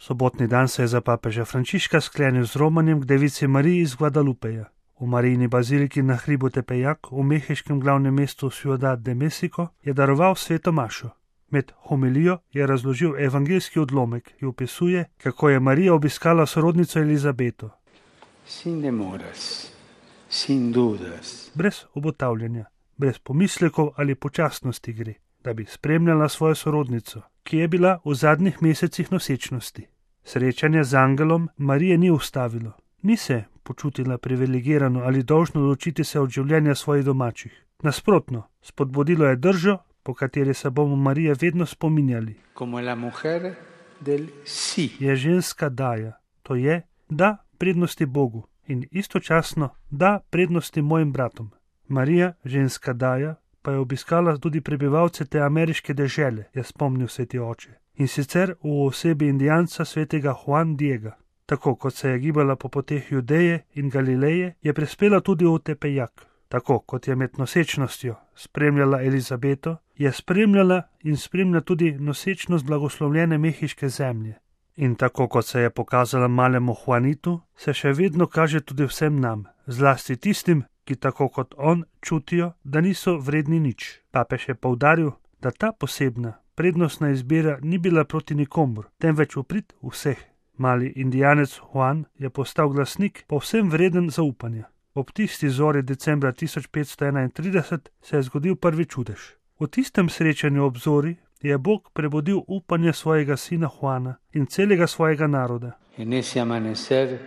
Sobotni dan se je za papeža Frančiška sklenil z romanjem k devici Mariji iz Guadalupeja. V Marijini baziliki na hribu Tepejac v mehiškem glavnem mestu Ciudad de México je daroval sveto mašo. Med homilijo je razložil evangeljski odlomek, ki opisuje, kako je Marija obiskala sorodnico Elizabeto. Sin demoras, sin dudas. Brez obotavljanja, brez pomislekov ali počasnosti gre, da bi spremljala svojo sorodnico, ki je bila v zadnjih mesecih nosečnosti. Srečanje z angelom Marije ni ustavilo. Ni se počutila privilegirano ali dolžno ločiti se od življenja svojih domačih. Nasprotno, spodbudilo je držo, po kateri se bomo Marije vedno spominjali. Como la mujer del sí. Je ženska daja, to je, da prednosti Bogu in istočasno da prednosti mojim bratom. Marija, ženska daja, pa je obiskala tudi prebivalce te ameriške dežele, je spomnil sveti oče. In sicer v osebi indijanca svetega Juan Diega. Tako kot se je gibala po poteh Judeje in Galileje, je prispela tudi v Tepejac. Tako kot je med nosečnostjo spremljala Elizabeto, je spremljala in spremlja tudi nosečnost blagoslovljene mehiške zemlje. In tako kot se je pokazala malemu Juanitu, se še vedno kaže tudi vsem nam, zlasti tistim, ki tako kot on čutijo, da niso vredni nič. Papež je poudaril, da ta posebna, prednostna izbira ni bila proti nikomur, temveč v prid vseh. Mali indijanec Juan je postal glasnik povsem vreden zaupanja. Ob tisti zori decembra 1531 se je zgodil prvi čudež. V tistem srečanju ob zori je Bog prebudil upanje svojega sina Juana in celega svojega naroda. En ese amanecer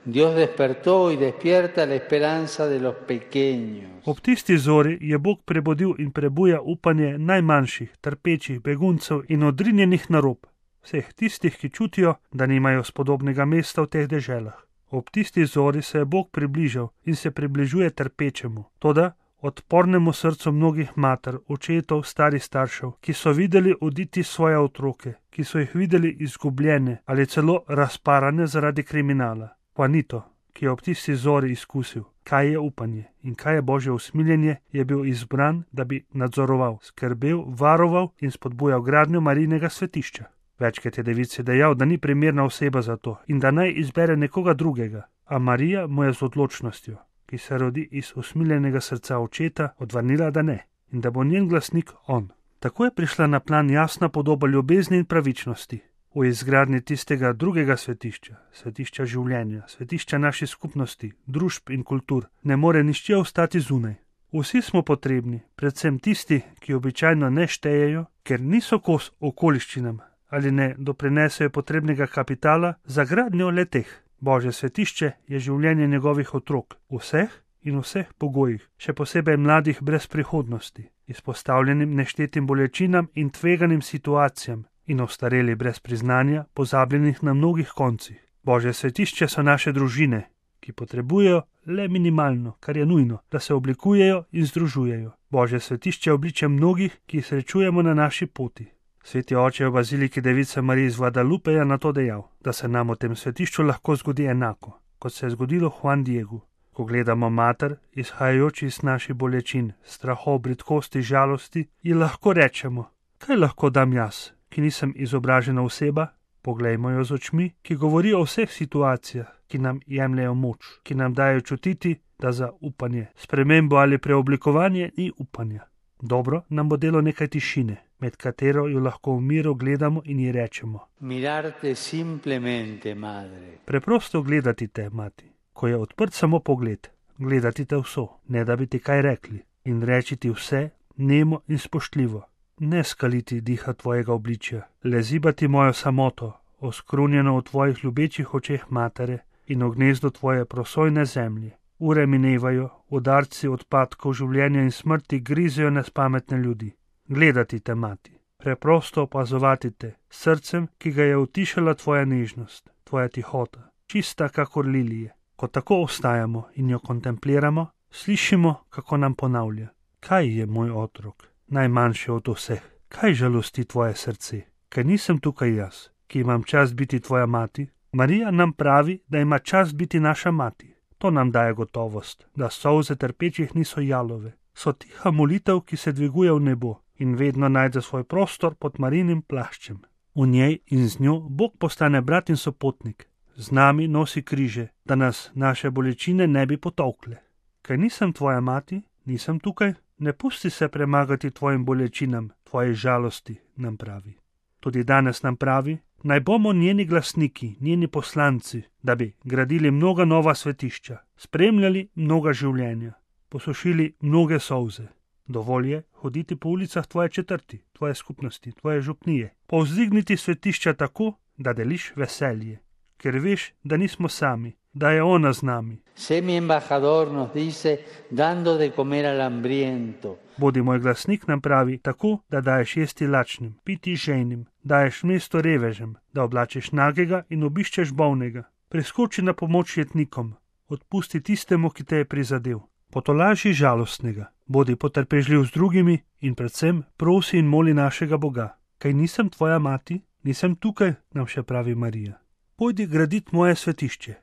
Dios despertó y despierta la esperanza de los pequeños. Ob tisti zori je Bog prebudil in prebuja upanje najmanjših, trpečih, beguncev in odrinjenih na rob. Vseh tistih, ki čutijo, da nimajo spodobnega mesta v teh deželah. Ob tisti zori se je Bog približal in se približuje trpečemu, toda odpornemu srcu mnogih mater, očetov, starih staršev, ki so videli oditi svoje otroke, ki so jih videli izgubljene ali celo razparane zaradi kriminala. Juanito, ki je ob tisti zori izkusil, kaj je upanje in kaj je Božje usmiljenje, je bil izbran, da bi nadzoroval, skrbel, varoval in spodbujal gradnjo Marijinega svetišča. Večkrat je devici dejal, da ni primerna oseba za to in da naj izbere nekoga drugega, a Marija mu je z odločnostjo, ki se rodi iz usmiljenega srca očeta, odvrnila, da ne in da bo njen glasnik on. Tako je prišla na plan jasna podoba ljubezni in pravičnosti. V izgradnji tistega drugega svetišča, svetišča življenja, svetišča naših skupnosti, družb in kultur, ne more nišče ostati zunaj. Vsi smo potrebni, predvsem tisti, ki običajno ne štejejo, ker niso kos okoliščinam ali ne doprinesejo potrebnega kapitala za gradnjo le-teh. Božje svetišče je življenje njegovih otrok, vseh in vseh pogojih, še posebej mladih brez prihodnosti, izpostavljenim neštetim bolečinam in tveganim situacijam in ostareli brez priznanja, pozabljenih na mnogih koncih. Božje svetišče so naše družine, ki potrebujejo le minimalno, kar je nujno, da se oblikujejo in združujejo. Božje svetišče je obličje mnogih, ki jih srečujemo na naši poti. Sveti oče je v baziliki Device Marije iz Guadalupeja na to dejal, da se nam v tem svetišču lahko zgodi enako, kot se je zgodilo Juan Diegu. Ko gledamo mater, izhajajoči iz naših bolečin, strahov, bridkosti, žalosti, ji lahko rečemo, kaj lahko dam jaz, ki nisem izobražena oseba? Poglejmo jo z očmi, ki govorijo o vseh situacijah, ki nam jemljejo moč, ki nam dajo čutiti, da za upanje, spremembo ali preoblikovanje ni upanja. Dobro nam bo delo nekaj tišine, med katero jo lahko v miru gledamo in ji rečemo: Mirarte simplemente, madre. Preprosto gledati te, mati, ko je odprt samo pogled, gledati te vso, ne da bi ti kaj rekli, in reči ti vse, nemo in spoštljivo. Ne skaliti diha tvojega obličja, le zibati mojo samoto, oskrunjeno v tvojih ljubečih očeh matere in v gnezdo tvoje prosojne zemlje. Ure minevajo, udarci odpadkov življenja in smrti grizejo nespametne ljudi. Gledati te, mati, preprosto opazovati te, srcem, ki ga je utišala tvoja nežnost, tvoja tihota, čista kakor lilije. Ko tako ostajamo in jo kontempliramo, slišimo, kako nam ponavlja: Kaj je moj otrok, najmanjši od vseh? Kaj žalosti tvoje srce? Ker nisem tukaj jaz, ki imam čast biti tvoja mati? Marija nam pravi, da ima čast biti naša mati. To nam daje gotovost, da solze trpečih niso jalove. So tiha molitev, ki se dviguje v nebo in vedno najde svoj prostor pod Marijinim plaščem. V njej in z njo Bog postane brat in sopotnik. Z nami nosi križe, da nas naše bolečine ne bi potolkle. Kaj nisem tvoja mati, nisem tukaj, ne pusti se premagati tvojim bolečinam, tvoji žalosti, nam pravi. Tudi danes nam pravi, naj bomo njeni glasniki, njeni poslanci, da bi gradili mnoga nova svetišča, spremljali mnoga življenja, posušili mnoge solze. Dovolj je hoditi po ulicah tvoje četrti, tvoje skupnosti, tvoje župnije, povzdigniti svetišča tako, da deliš veselje, ker veš, da nismo sami, da je ona z nami. Sé mi embajador, nos dice, dando de comer al hambriento. Bodi moj glasnik, nam pravi, tako, da daješ jesti lačnim, piti žejnim, daješ mesto revežem, da oblačiš nagega in obiščeš bolnega. Preskoči na pomoč jetnikom, odpusti tistemu, ki te je prizadel. Potolaži žalostnega, bodi potrpežljiv z drugimi in predvsem prosi in moli našega Boga. Kaj nisem tvoja mati, nisem tukaj, nam še pravi Marija. Pojdi graditi moje svetišče.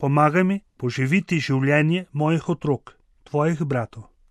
Pomagaj mi poživiti življenje mojih otrok, tvojih bratov.